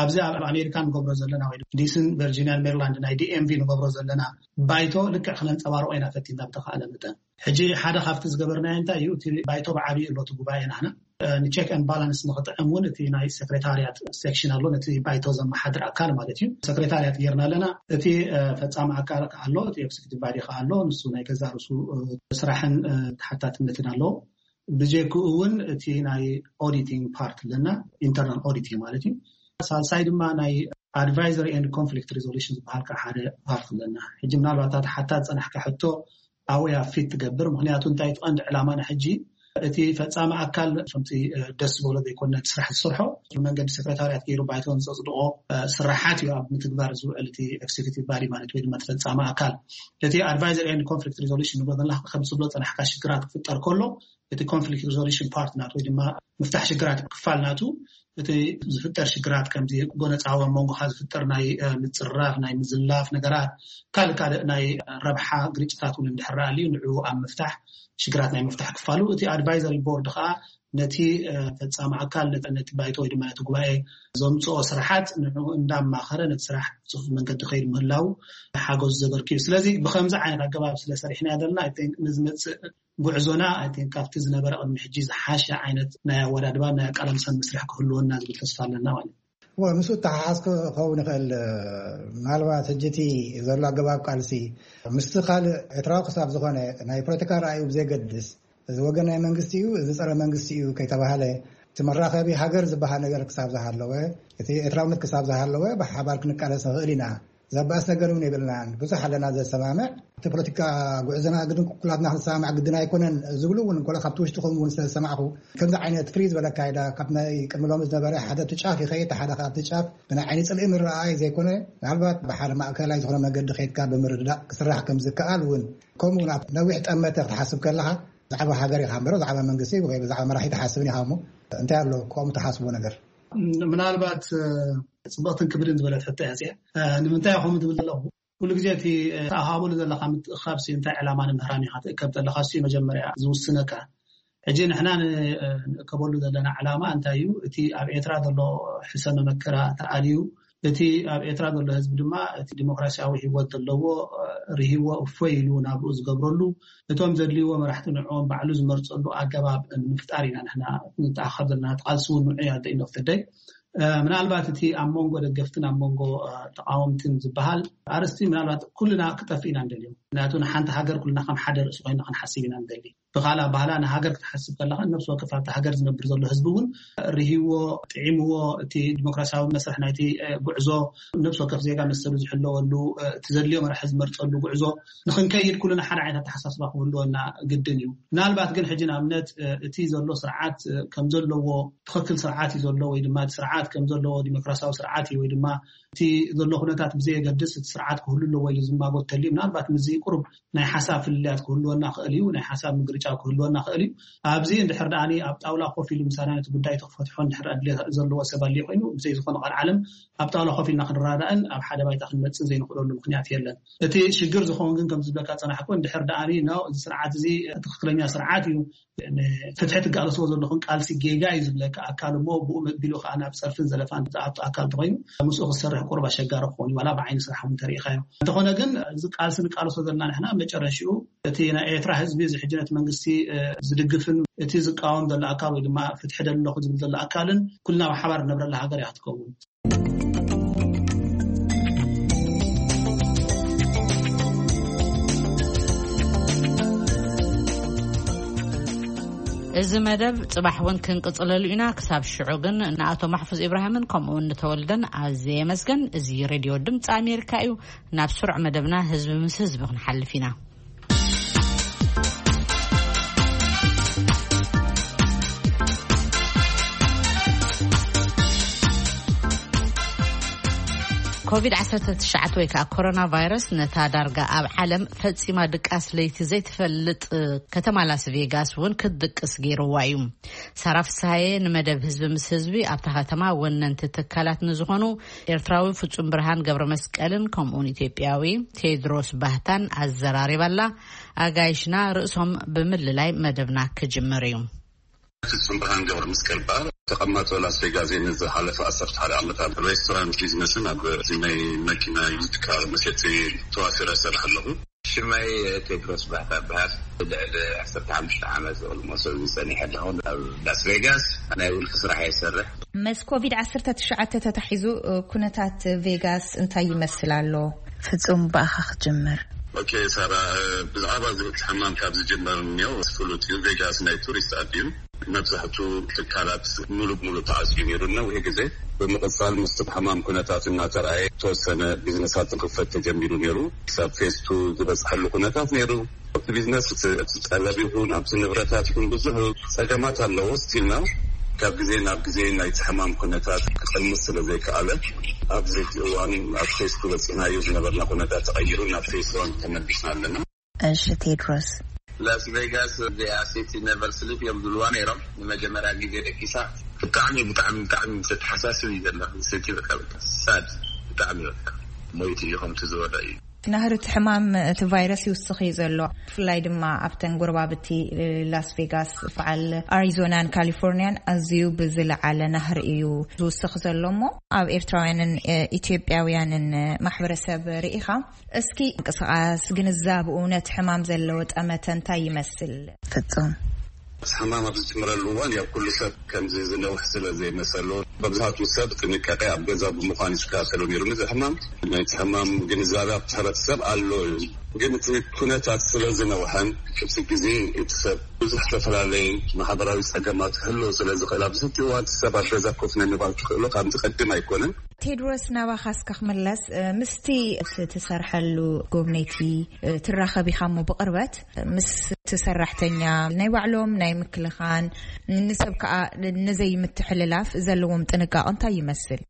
ኣብዚ ኣብ ኣሜሪካ ንገብሮ ዘለና ወይ ዲስን ቨርጂኒያን ሜሪላንድ ናይ ዲኤምቪ ንገብሮ ዘለና ባይቶ ልክዕ ክነንፀባርቆ ኢና ፈቲና ብተኻእለ መጠን። ሕጂ ሓደ ካብቲ ዝገበርናዮ እንታይ እዩ? እቲ ባይቶ ብዓብዩ ኣሎ እቲ ጉባኤ ናህና ንቼክ ን ባላንስ ንክጥዕም እውን እቲ ናይ ሰክሬታርያት ሴክሽን ኣሎ፣ ነቲ ባይቶ ዘመሓድር ኣካል ማለት እዩ። ሰክሬታርያት ጌርና ኣለና። እቲ ፈፃሚ ኣካል ኣሎ፣ እቲ ኤክስኪዩቲቭ ባዲ ከ ኣሎ፣ ንሱ ናይ ገዛ ርሱ ስራሕን ተሓታትነትን ኣለዎ። ብጀክኡ እውን እቲ ናይ ኦዲቲንግ ፓርት ኣለና፣ ኢንተርናል ኦዲቲንግ ማለት እዩ። ሳልሳይ ድማ ናይ ኣድቫይዘሪ ኤንድ ኮንፍሊክት ሪዞሉሽን ዝበሃል ከዓ ሓደ ፓርት ኣለና። ሕጂ ምናልባት እታ ሓታ ዝፀናሕካ ሕቶ ኣወያ ፊት ትገብር። ምክንያቱ እንታይ እቲ ቀንዲ ዕላማና ሕጂ እቲ ፈፃሚ ኣካል ከምቲ ደስ ዝበሎ ዘይኮነ እቲ ስራሕ ዝሰርሖ ብመንገዲ ሰክሬታርያት ገይሩ ባይቶን ዘፅድቆ ስራሓት እዩ ኣብ ምትግባር ዝውዕል እቲ ኤክስኪዩቲቭ ባዲ ማለት ወይ ድማ እቲ ፈፃሚ ኣካል። እቲ ኣድቫይዘሪ ኤንድ ኮንፍሊክት ሪዞሉሽን ንብሎ ዘለና ከም ዝብሎ ፀናሕካ ሽግራት ክፍጠር ከሎ እቲ ኮንፍሊክት ሪዞሉሽን ፓርት ናት ወይ ድማ ምፍታሕ ሽግራት ክፋል ናቱ እቲ ዝፍጠር ሽግራት ከምዚ ጎነፃዊ ኣብ መንጎኻ ዝፍጠር ናይ ምፅራፍ ናይ ምዝላፍ ነገራት ካልእ ካልእ ናይ ረብሓ ግርጭታት እውን እንድሕር ኣልዩ ንዕኡ ኣብ ምፍታሕ ሽግራት ናይ ምፍታሕ ክፋሉ እቲ ኣድቫይዘሪ ቦርድ ከዓ ነቲ ፈፃሚ ኣካል ነቲ ባይቶ ወይ ድማ ነቲ ጉባኤ ዘምፅኦ ስራሓት ንዕኡ እንዳማኸረ ነቲ ስራሕ ብፅፉፍ መንገዲ ከይድ ምህላው ሓገዙ ዘበርክ እዩ። ስለዚ ብከምዚ ዓይነት ኣገባብ ስለ ሰሪሕና ዘለና ንዝመፅእ ጉዕዞና ካብቲ ዝነበረ ቅድሚ ሕጂ ዝሓሸ ዓይነት ናይ ኣወዳድባ ናይ ኣቃላልሳን መስርሕ ክህልወና ዝብል ተስፋ ኣለና ማለት እዩ። እወ፣ ምስኡ እተሓሓዝ ክኸውን ይኽእል። ምናልባት ሕጂ እቲ ዘሎ ኣገባብ ቃልሲ ምስቲ ካልእ ኤርትራዊ ክሳብ ዝኾነ ናይ ፖለቲካ ራእዩ ብዘይገድስ እዚ ወገን ናይ መንግስቲ እዩ፣ እዚ ጸረ መንግስቲ እዩ ከይተባሃለ እቲ መራኸቢ ሃገር ዝበሃል ነገር ክሳብ ዝሃለወ፣ እቲ ኤርትራውነት ክሳብ ዝሃለወ ብሓባር ክንቃለስ ንኽእል ኢና። ዘባእስ ነገር እውን የብልናን። ብዙሕ ኣለና ዘሰማምዕ። እቲ ፖለቲካ ጉዕዞና ግድን ኩላትና ክንሰማማዕ ግድን ኣይኮነን ዝብሉ እውን እንኮሎ ካብቲ ውሽጥኹም እውን ስለ ዝሰማዕኹ ከምዚ ዓይነት ፍሪ ዝበለ ኣካይዳ ካብ ናይ ቅድሚ ሎሚ ዝነበረ ሓደ እቲ ጫፍ ይኸይድ ሓደ ካብቲ ጫፍ ብናይ ዓይኒ ፅልኢ ምረኣይ ዘይኮነ ምናልባት ብሓደ ማእከላይ ዝኾነ መገዲ ከይድካ ብምርድዳእ ክስራሕ ከም ዝከኣል እውን ከምኡ እውን ኣብ ነዊሕ ጠመተ ክትሓስብ ከለኻ ብዛዕባ ሃገር ኢኻ እምበር ብዛዕባ መንግስቲ ወይ ብዛዕባ መራሒ ትሓስብን ኢኻ እሞ እንታይ ኣሎ ከምኡ ትሓስቦ ነገር? ምናልባት ፅብቕትን ክብድን ዝበለት ሕቶ እያ እዚኣ። ንምንታይ ከምኡ ትብል ዘለኹ? ኩሉ ግዜ እቲ ተኣኻበሉ ዘለካ ምትእኻብ እንታይ ዕላማ ንምህራም ኢኻ ትእከብ ዘለካ እሱ መጀመርያ ዝውስነካ። ሕጂ ንሕና ንእከበሉ ዘለና ዕላማ እንታይ እዩ? እቲ ኣብ ኤርትራ ዘሎ ሕሰ መመከራ ተኣልዩ እቲ ኣብ ኤርትራ ዘሎ ህዝቢ ድማ እቲ ዲሞክራሲያዊ ህይወት ዘለዎ ርህዎ እፎይ ኢሉ ናብኡ ዝገብረሉ እቶም ዘድልይዎ መራሕቲ ንዕኦም ባዕሉ ዝመርፀሉ ኣገባብ ንምፍጣር ኢና ንሕና ንተኣኻብ ዘለና። ተቃልሲ እውን ንዑ እያ ደኢኖፍተደይ ምናልባት እቲ ኣብ መንጎ ደገፍትን ኣብ መንጎ ተቃወምትን ዝበሃል ኣርስቲ ምናልባት ኩልና ክጠፍእ ኢና ንደልዮም። ምክንያቱ ንሓንቲ ሃገር ኩልና ከም ሓደ ርእሲ ኮይና ክንሓስብ ኢና ንደሊ። ብካልእ ኣባህላ ንሃገር ክትሓስብ ከለካ ነብሲ ወከፍ ኣብቲ ሃገር ዝነብር ዘሎ ህዝቢ እውን ርህዎ ጥዒምዎ እቲ ዲሞክራሲያዊ መስርሕ ናይቲ ጉዕዞ ነብሲ ወከፍ ዜጋ መሰሉ ዝሕለወሉ እቲ ዘድልዮ መራሒ ዝመርፀሉ ጉዕዞ ንክንከይድ ኩልና ሓደ ዓይነት ኣተሓሳስባ ክህልወና ግድን እዩ። ምናልባት ግን ሕጂ ንኣብነት እቲ ዘሎ ስርዓት ከም ዘለዎ ትኽክል ስርዓት እዩ ዘሎ ወይ ድማ እቲ ስርዓት ከም ዘለዎ ዲሞክራሲያዊ ስርዓት እዩ ወይ ድማ እቲ ዘሎ ኩነታት ብዘየገድስ እቲ ስርዓት ክህሉ ኣለዎ ኢሉ ዝማጎት ተልዩ ምናልባት ምዚ ቁሩብ ናይ ሓሳብ ፍልልያት ክህልወና ክእል እዩ፣ ናይ ሓሳብ ምግርጫው ክህልወና ክእል እዩ። ኣብዚ እንድሕር ደኣ ኣብ ጣውላ ኮፍ ኢሉ ምሳና ነቲ ጉዳይ ተክፈትሖ እንድሕር ድሌት ዘለዎ ሰብ ኣልዩ ኮይኑ ብዘይ ዝኾነ ቃል ዓለም ኣብ ጣውላ ኮፍ ኢልና ክንረዳዳእን ኣብ ሓደ ባይታ ክንመፅን ዘይንኽእለሉ ምክንያት የለን። እቲ ሽግር ዝኸውን ግን ከም ዝብለካ ፀናሕኩ እንድሕር ደኣ ኖ እዚ ስርዓት እዚ ትክክለኛ ስርዓት እዩ ፍትሒ ትጋለስዎ ዘለኹም ቃልሲ ጌጋ እዩ ዝብለካ ኣካል እሞ ብኡ መቢሉ ከዓ ናብ ፀርፍን ዘለፋን ዝኣቱ ኣካል እንተኮይኑ ምስኡ ክሰርሕ ቁሩብ ኣሸጋሪ ክኸውን እዩ፣ ዋላ ብዓይኒ ስራሕ እውን ተሪኢኻዮ። እንተኾነ ግን፣ እዚ ቃልሲ ንቃለሶ ዘለና ንሕና፣ መጨረሽኡ እቲ ናይ ኤርትራ ህዝቢ፣ እዚ ሕጂ ነቲ መንግስቲ፣ እ፣ ዝድግፍን እቲ ዝቃወም ዘሎ ኣካል ወይ ድማ ፍትሒ ደሊ ኣለኹ ዝብል ዘሎ ኣካልን ኩልና ብሓባር ንነብረላ ሃገር እያ ክትከውን። እዚ መደብ ጽባሕ እውን ክንቅጽለሉ ኢና። ክሳብ ሽዑ ግን ንኣቶ ማሕፉዝ ኢብራሂምን ከምኡ እውን ንተወልደን ኣዝየ የመስገን። እዚ ሬድዮ ድምፂ ኣሜሪካ እዩ። ናብ ስሩዕ መደብና ህዝቢ ምስ ህዝቢ ክንሓልፍ ኢና። ኮቪድ ዓሰርተ ትሽዓተ ወይ ከዓ ኮሮና ቫይረስ ነታ ዳርጋ ኣብ ዓለም ፈጺማ ድቃስ ለይቲ ዘይትፈልጥ ከተማ ላስ ቬጋስ እውን ክትድቅስ ገይርዋ እዩ። ሳራ ፍስሃየ ንመደብ ህዝቢ ምስ ህዝቢ ኣብታ ከተማ ወነንቲ ትካላት ንዝኾኑ ኤርትራዊ ፍጹም ብርሃን ገብረ መስቀልን ከምኡውን ኢትዮጵያዊ ቴድሮስ ባህታን ኣዘራሪባላ። ኣጋይሽና ርእሶም ብምልላይ መደብና ክጅምር እዩ። ፍጹም ብርሃን ገብረ መስቀል በሃል። ተቐማጦ ላስ ቬጋስ እየ። ንዝሓለፈ ዓሰርተ ሓደ ዓመታት ሬስቶራንት ቢዝነስን ኣብ ናይ መኪና ዩዝድ ካር መሸጢ ተዋፊረ እሰርሕ ኣለኹ። ሽመይ ቴድሮስ ባህታ በሃል። ልዕሊ ዓሰርተ ሓሙሽተ ዓመት ኦልሞስ ኣብዚ ጸኒሐ ኣለኹ። ኣብ ላስ ቬጋስ ናይ ውልቂ ስራሕ እየ ዝሰርሕ። ምስ ኮቪድ ዓሰርተ ትሽዓተ ተታሒዙ፣ እ፣ ኩነታት ቬጋስ እንታይ ይመስል ኣሎ? ፍጹም፣ ብኣኻ ክጅምር። ኦኬ ሳራ፣ እ፣ ብዛዕባ እዚ እቲ ሕማም ካብ ዝጅመር እኒኦ ፍሉጥ እዩ። ቬጋስ ናይ ቱሪስት ዓዲ እዩ። መብዛሕቱ ትካላት ሙሉ ብሙሉ ተዓፅዩ ነይሩ ነዊሕ ግዜ። ብምቕፃል ምስቲ ሕማም ኩነታት እናተረኣየ፣ ዝተወሰነ ቢዝነሳት ክኽፈት ተጀሚሩ ነይሩ። ክሳብ ፌስቱ ዝበፅሐሉ ኩነታት ነይሩ። ኣብቲ ቢዝነስ እቲ፣ እቲ ጠለብ ይኹን ኣብቲ ንብረታት ይኹን ብዙሕ ፀገማት ኣለዎ። ስቲልና ካብ ግዜ ናብ ግዜ ናይቲ ሕማም ኩነታት ክቐንስ ስለ ዘይከኣለ፣ ኣብዚ ሕጂ እዋን ኣብ ፌስቱ በፂሕናዮ ዝነበርና ኩነታት ተቐይሩ ናብ ፌስ ዋን ተመሊስና ኣለና። እሺ ቴድሮስ። ላስ ቬጋስ እዚኣ ሲቲ ነቨር ስሊፕ እዮም ዝብልዋ ነይሮም። ንመጀመርያ ግዜ ደቂሳ። ብጣዕሚ፣ ብጣዕሚ፣ ብጣዕሚ ዘተሓሳስብ እዩ ዘሎ። ሲቲ በቃ፣ በቃ ሳድ፣ ብጣዕሚ በቃ ሞይቱ እዩ ከምቲ ዝበሎ እዩ። ናህሪ እቲ ሕማም፣ እቲ ቫይረስ ይውስኽ እዩ ዘሎ። ብፍላይ ድማ ኣብተን ጎረባብቲ ላስ ቬጋስ፣ በዓል ኣሪዞናን ካሊፎርኒያን ኣዝዩ ብዝለዓለ ናህሪ እዩ ዝውስኽ ዘሎ እሞ፣ ኣብ ኤርትራውያንን፣ እ፣ ኢትዮጵያውያንን ማሕበረሰብ ርኢኻ፣ እስኪ ምንቅስቓስ ግንዛብኡ ነቲ ሕማም ዘለዎ ጠመተ እንታይ ይመስል? ፍጹም። ሕማም ኣብ ዝጅምረሉ እዋን ያው ኩሉ ሰብ ከምዚ ዝነውሕ ስለ ዘይመሰሎ፣ መብዛሕትኡ ሰብ ጥንቃቄ ኣብ ገዛ ብምዃን ይከታተሎ ነይሩ። ነዚ ሕማም፣ ናይቲ ሕማም ግንዛቤ ኣብቲ ሕብረተሰብ ኣሎ እዩ። ግን እቲ ኩነታት ስለ ዝነውሐን እቲ ግዜ እቲ ሰብ ብዙሕ ዝተፈላለየ ማሕበራዊ ጸገማት ክህልዎ ስለ ዝኽእል፣ ኣብዚ ሕጂ እዋን እቲ ሰብ ኣብ ገዛ ኮፍ ንምባል ክኽእሎ ካብ ዝቐድም ኣይኮነን። ቴድሮስ፣ ናባኻ እስከ ክምለስ፣ እ፣ ምስቲ እቲ ትሰርሐሉ ጎብነይቲ፣ እ፣ ትራኸብ ኢኻ እሞ ብቕርበት ምስ እቲ ሰራሕተኛ ናይ ባዕሎም ናይ ምክልኻን ንሰብ ከኣ ንዘይምትሕልላፍ ዘለዎም ጥንቃቐ እንታይ ይመስል?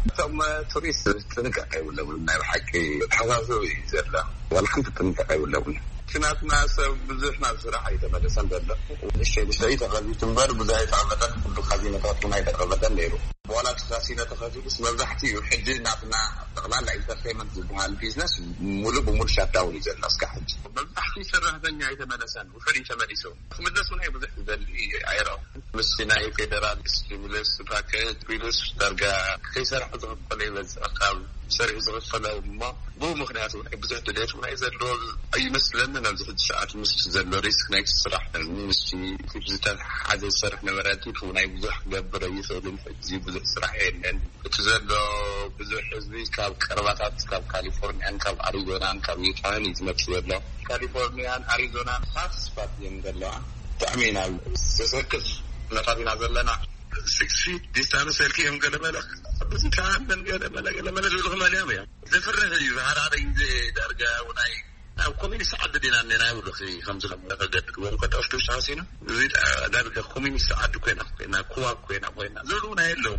እቶም ቱሪስት ጥንቃቐ የብሎምን። ናይ ብሓቂ ተሓሳስብ እዩ ዘሎ። ዋላ ሓንቲ ጥንቃቐ የብሎምን። እቲ ናትና ሰብ ብዙሕ ናብ ስራሕ ኣይተመለሰን ዘሎ። ንእሽተይ ንእሽተይ ተኸፊቱ እምበር ብዙሕ ኣይተቐመጠን። ኩሉ ካዚኖታት እውን ኣይተቐመጠን ነይሩ። ዋላ እቲ ካሲኖ ተኸፊቱስ መብዛሕትኡ ሕጂ ናትና ጠቕላላ ኢንተርቴይንመንት ዝበሃል ቢዝነስ ሙሉ ብሙሉ ሻትዳውን እዩ ዘሎ እስካብ ሕጂ። መብዛሕትኡ ሰራሕተኛ ኣይተመለሰን። ውሑድ እዩ ተመሊሱ። ክምለስ እውን ብዙሕ ዝደሊ ኣይረኣኹን። ምስ ናይ ፌደራል ስቲሙለስ ፓኬጅ ቢሉስ ዳርጋ ከይሰርሐ ዝኽፈሎ ይበዝሕ። ካብ ሰሪሑ ዝኽፈሎ እሞ ብኡ ምኽንያት እውን ብዙሕ ድሌት እውን ኣይዘለዎ ኣይመስለንን። ኣብዚ ሕጂ ሰዓት ምስ ዘሎ ሪስክ ናይቲ ስራሕ፣ ምስቲ ዝተሓሓዘ ዝሰርሕ ነበረ፣ ቲት እውን ብዙሕ ክገብር ኣይኽእልን። ሕጂ ብዙሕ ስራሕ የለን። እቲ ዘሎ ብዙሕ ህዝቢ ካብ ቀረባታት፣ ካብ ካሊፎርኒያን፣ ካብ ኣሪዞናን፣ ካብ ዩታን እዩ ዝመጽእ ዘሎ። ካሊፎርኒያን ኣሪዞናን ሃት ስፓት እዮም ዘለዋ። ብጣዕሚ ኢና ዘሰክፍ ኩነታት ኢና ዘለና። ሲክስ ፊት ዲስታንስ ኢልክዮም ገለመለ፣ ብዙ ተኣምን ገለመለ፣ ገለመለ ዝብሉ ክመልዮም እዮም። ዘፍርህ እዩ። ዝሓራረ ግዜ ዳርጋ ውናይ ኣብ ኮሚኒስት ዓዲ ዲና እኒና ይብሉ። ከምዚ ከም ተገድድዎም ከዳፍቱ ተሓሲኑ፣ እዚ ዳ-፣ ዳርጋ ኮሚኒስት ዓዲ ኮይና፣ ኮይና፣ ኩባ ኮይና፣ ኮይና ዝብሉ እውን ኣየለዉ።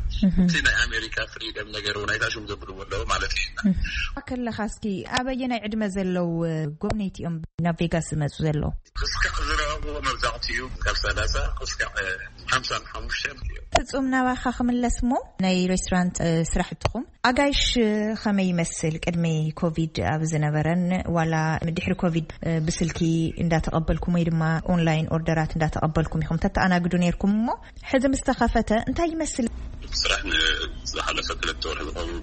እቲ ናይ ኣሜሪካ ፍሪደም ነገር እውን ኣይታሽም ዘብሉ ኣለዉ ማለት እዩ። ከለኻ እስኪ ኣበየናይ ዕድመ ዘለዉ ጎብነይቲ እዮም ናብ ቬጋስ ዝመፁ ዘለዉ? ክስካዕ ዝረኸብዎ መብዛሕትኡ ካብ ሰላሳ ክስካዕ ሓምሳን ሓሙሽተን እዮም። ፍጹም፣ ናባኻ ክምለስ እሞ፣ ናይ ሬስቶራንት፣ እ፣ ስራሕትኹም ኣጋይሽ፣ እ፣ ከመይ ይመስል? ቅድሚ ኮቪድ ኣብ ዝነበረን ዋላ ድሕሪ ኮቪድ፣ እ፣ ብስልኪ እንዳተቐበልኩም ወይ ድማ ኦንላይን ኦርደራት እንዳተቐበልኩም ኢኹም ተተኣናግዱ ነይርኩም እሞ፣ ሕዚ ምስ ተኸፈተ እንታይ ይመስል? ስራሕ ን-፣ ዝሓለፈ ክልተ ወርሒ ዝኸውን፣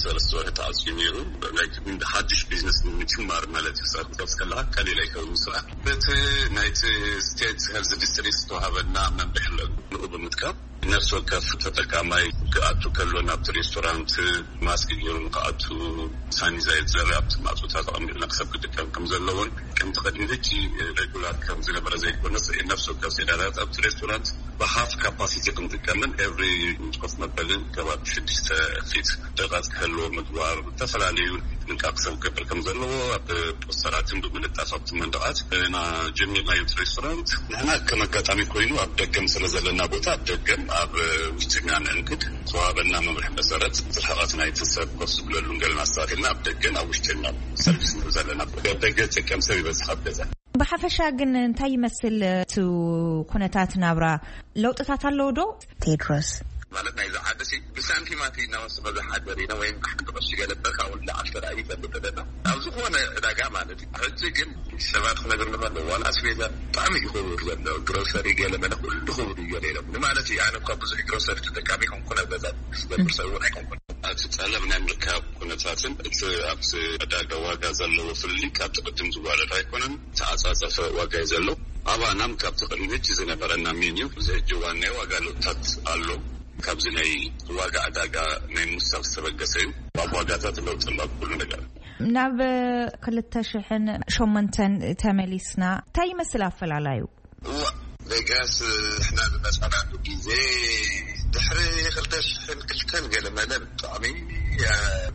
ሰለስተ ወርሒ ተዓፅዩ ነይሩ። ናይ ሓድሽ ቢዝነስ ንምጅማር ማለት እዩ። ሰብ ክትከፍት ከለካ ቀሊል ኣይከውን ስራሕ። በቲ ናይቲ ስቴት ሄልዝ ዲስትሪክት ዝተዋሃበና መምርሒ ኣሎ። ንኡ ብምጥቃም ነፍሲ ወከፍ ተጠቃማይ ክኣቱ ከሎ ናብቲ ሬስቶራንት ማስክ ገይሩ ንክኣቱ፣ ሳኒታይዘር ኣብቲ ማእቶታት ኣቐሚጥና ክሰብ ክጥቀም ከም ዘለዎን ከምቲ ቅድሚ ሕጂ ሬጉላር ከም ዝነበረ ዘይኮነስ ነፍሲ ወከፍ ሴዳታት ኣብቲ ሬስቶራንት ብሃፍ ካፓሲቲ ክንጥቀምን ኤቭሪ ኮፍ መበልን ከባቢ ሽዱሽተ ፊት ርሕቀት ክህልዎ ምግባር፣ ዝተፈላለዩ ጥንቃቄ ሰብ ክገብር ከም ዘለዎ ኣብ ፖስተራትን ብምልጣፍ ኣብቲ መንደቓት እና ጀሚርናዮ። እቲ ሬስቶራንት ንሕና ከም ኣጋጣሚ ኮይኑ ኣብ ደገም ስለ ዘለና ቦታ ኣብ ደገም ኣብ ውሽጥና ንእንግድ ተዋበና መምርሒ መሰረት ርሕቀት ናይቲ ሰብ ኮፍ ዝብለሉን ገለን ኣስተካኪልና ኣብ ደገን ኣብ ውሽጥና ሰርቪስ ንህብ ዘለና። ኣብ ደገ ዝጥቀም ሰብ ይበዝሕ ኣብ ገዛ። ብሓፈሻ ግን እንታይ ይመስል እቲ ኩነታት ናብራ? ለውጥታት ኣለዎ ዶ? ቴድሮስ። ማለት ናይዚ ዓዲ ሲ ብሳንቲማት ኢና ወስኖ ዝሓደር ኢና፣ ወይም ሓንቲ ቅርሺ ገለ እምበር ካብኡ ንላዕሊ ተራእዩ ይፈልጥ ኣለና። ኣብ ዝኾነ ዕዳጋ ማለት እዩ። ሕጂ ግን ሰባት ክነግር ንኸሎ ዋላ ኣስቤዛ ብጣዕሚ እዩ ክቡር ዘሎ። ግሮሰሪ ገለ መለ ኩሉ ክቡር እዩ ገለ ኢሎም። ንማለት እዩ ኣነ እኳ ብዙሕ ግሮሰሪ ተጠቃሚ ኣይኮንኩን፣ ኣብ ገዛ ዝገብር ሰብ እውን ኣይኮንኩን። እቲ ጠለብ ናይ ምርካብ ኩነታትን እቲ ኣብቲ ዕዳጋ ዋጋ ዘለዎ ፍልልይ ካብቲ ቅድም ዝዋረድ ኣይኮነን። ተዓጻጸፈ ዋጋ እዩ ዘሎ። ኣባናም ካብቲ ቅድሚ ሕጂ ዝነበረና ሜንዩ እዚ ሕጂ እዋን ናይ ዋጋ ለውጥታት ኣሎ። ካብዚ ናይ ዋጋ ዕዳጋ ናይ ምውሳኽ ዝተበገሰ እዩ። ኣብ ዋጋታት ለውጢ ኣሎ ኣብ ኩሉ ነገር። ናብ ክልተ ሽሕን ሸሞንተን ተመሊስና እንታይ ይመስል ኣፈላላዩ? እዋ፣ ቬጋስ ንሕና ዝመጻናሉ ግዜ ድሕሪ ክልተ ሽሕን ክልተን ገለ መለ ብጣዕሚ፣ እ፣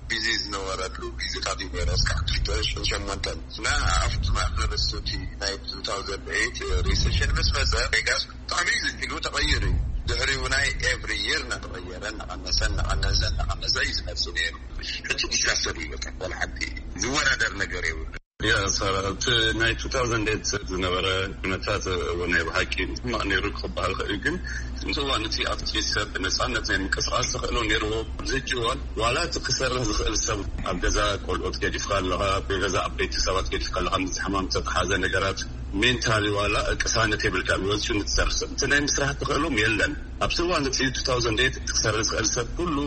ቢዚ ዝነበረሉ ግዜታት እዩ ነይሩ። እስካዕ ክልተ ሽሕን ሸሞንተን እና ኣብቲ ማእከል እቲ ናይ ቱ ታውዘንድ ኤይት ሪሰሽን ምስ መጸ ቬጋስ ብጣዕሚ ኢሉ ተቐይሩ እዩ። ድሕሪኡ ናይ ኤቭሪ ይር እናተቐየረ እናቐነሰ እናቐነሰ እናቐነሰ እዩ ዝመጽእ ነይሩ። ሕጂ ዲዛስተር እዩ በቃ፣ ዋላ ሓንቲ ዝወዳደር ነገር የብሉ። ያ፣ ሰ-፣ እቲ ናይ ቱ ታውዘንድ ኤይት ዝነበረ ኩነታት እውን ናይ ብሓቂ ሕማቕ ነይሩ ክበሃል ይኽእል እዩ። ግን እቲ እዋን እቲ ኣብቲ ሰብ ብነጻነት ናይ ምንቅስቓስ ተኽእሎ ነይርዎ። ኣብዚ ሕጂ እዋን ዋላ እቲ ክሰርሕ ዝኽእል ሰብ ኣብ ገዛ ቆልዑት ገዲፍካ ኣለኻ፣ ኣብ ገዛ ዓበይቲ ሰባት ገዲፍካ ኣለኻ፣ ምስ ሕማም ዝተተሓዘ ነገራት ሜንታሊ ዋላ ቅሳነት የብልካ፣ ወፂኡ ንትሰርሕ ሰብ እቲ ናይ ምስራሕ ተኽእሎም የለን። ኣብዚ እዋን እቲ ቱ ታውዘንድ ኤይት እቲ ክሰርሕ ዝኽእል ሰብ ኩሉ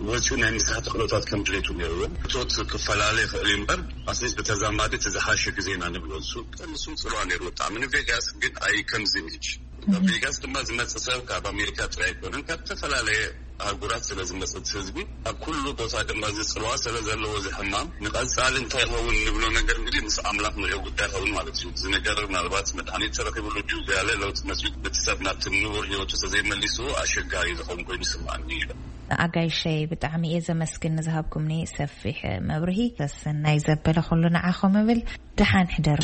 ወፂኡ ናይ ምስራሕ ተኽእሎታት ከም ድሌቱ ነይርዎ። እቶት ክፈላለ ይኽእል እዩ እምበር ኣትሊስት ብተዛማዲ እቲ ዝሓሸ ግዜ ኢና ንብሎ። ንሱ ንሱ ጽልዋ ነይሩ ብጣዕሚ ንቬጋስ፣ ግን ኣይ ከምዚ ምጅ። ኣብ ቬጋስ ድማ ዝመጽእ ሰብ ካብ ኣሜሪካ ጥራይ ኣይኮነን፣ ካብ ዝተፈላለየ ኣህጉራት ስለ ዝመጽእ ህዝቢ ኣብ ኩሉ ቦታ ድማ እዚ ጽልዋ ስለ ዘለዎ እዚ ሕማም ንቐጻሊ እንታይ ይኸውን ንብሎ ነገር እንግዲህ ምስ ኣምላኽ ንሪኦ ጉዳይ ይኸውን ማለት እዩ። እዚ ነገር ምናልባት መድሃኒት ተረኺብሉ ድዩ፣ ዝያለ ለውጢ መጽዩ እቲ ሰብ ናብቲ ንቡር ህይወቱ ተዘይመሊስዎ ኣሸጋሪ ዝኸውን ኮይኑ ይስምዓኒ ይብል። ኣጋይሸይ ብጣዕሚ እየ ዘመስግን ንዝሃብኩምኒ ሰፊሕ መብርሂ። ሰሰናይ ዘበለ ኩሉ ንዓኹም እብል። ደሓን ሕደሩ።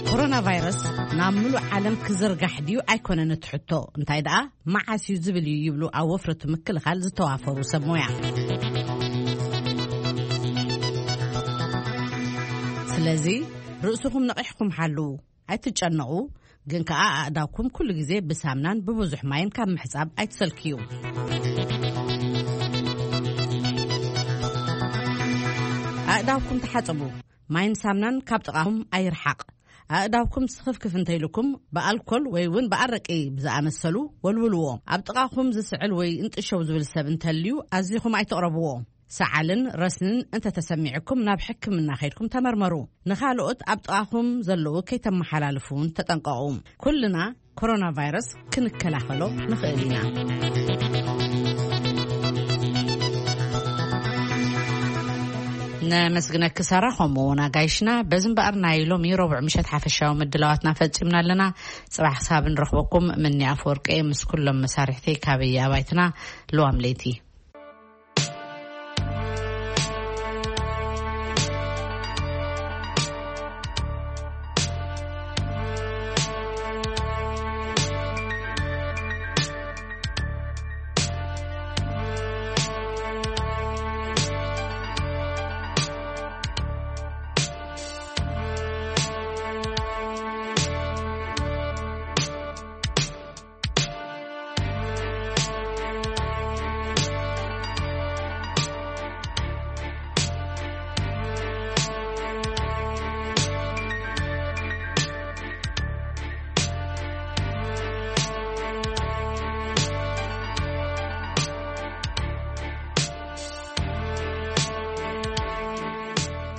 ኮሮና ቫይረስ ናብ ምሉእ ዓለም ክዝርጋሕ ድዩ ኣይኮነን እቲ ሕቶ፣ እንታይ ደኣ መዓስ እዩ ዝብል እዩ ይብሉ ኣብ ወፍሪ እቲ ምክልኻል ዝተዋፈሩ ሰብ ሞያ። ስለዚ ርእስኹም ነቒሕኩም ሓልዉ፣ ኣይትጨነቑ፣ ግን ከኣ ኣእዳውኩም ኩሉ ግዜ ብሳምናን ብብዙሕ ማይን ካብ ምሕጻብ ኣይትሰልክዩ። ኣእዳውኩም ተሓጸቡ። ማይን ሳምናን ካብ ጥቓኹም ኣይርሓቕ። ኣእዳውኩም ስኽፍክፍ እንተኢልኩም ብኣልኮል ወይ እውን ብኣረቂ ብዝኣመሰሉ ወልውልዎ። ኣብ ጥቓኹም ዝስዕል ወይ እንጥሸው ዝብል ሰብ እንተልዩ ኣዚኹም ኣይትቕረብዎ። ሰዓልን ረስንን እንተተሰሚዕኩም ናብ ሕክምና ከይድኩም ተመርመሩ። ንኻልኦት ኣብ ጥቓኹም ዘለዉ ከይተመሓላልፉ እውን ተጠንቀቑ። ኩልና ኮሮና ቫይረስ ክንከላኸሎ ንኽእል ኢና። ነመስግነኪ ሳራ፣ ከምኡ እውን ኣጋይሽና። በዚ እምበኣር ናይ ሎሚ ረቡዕ ምሸት ሓፈሻዊ ምድላዋትና ፈጺምና ኣለና። ጽባሕ ክሳብ ንረኽበኩም ምኒ ኣፈወርቂ ምስ ኩሎም መሳርሕቲ ካብ ኣባይትና ልዋም ለይቲ።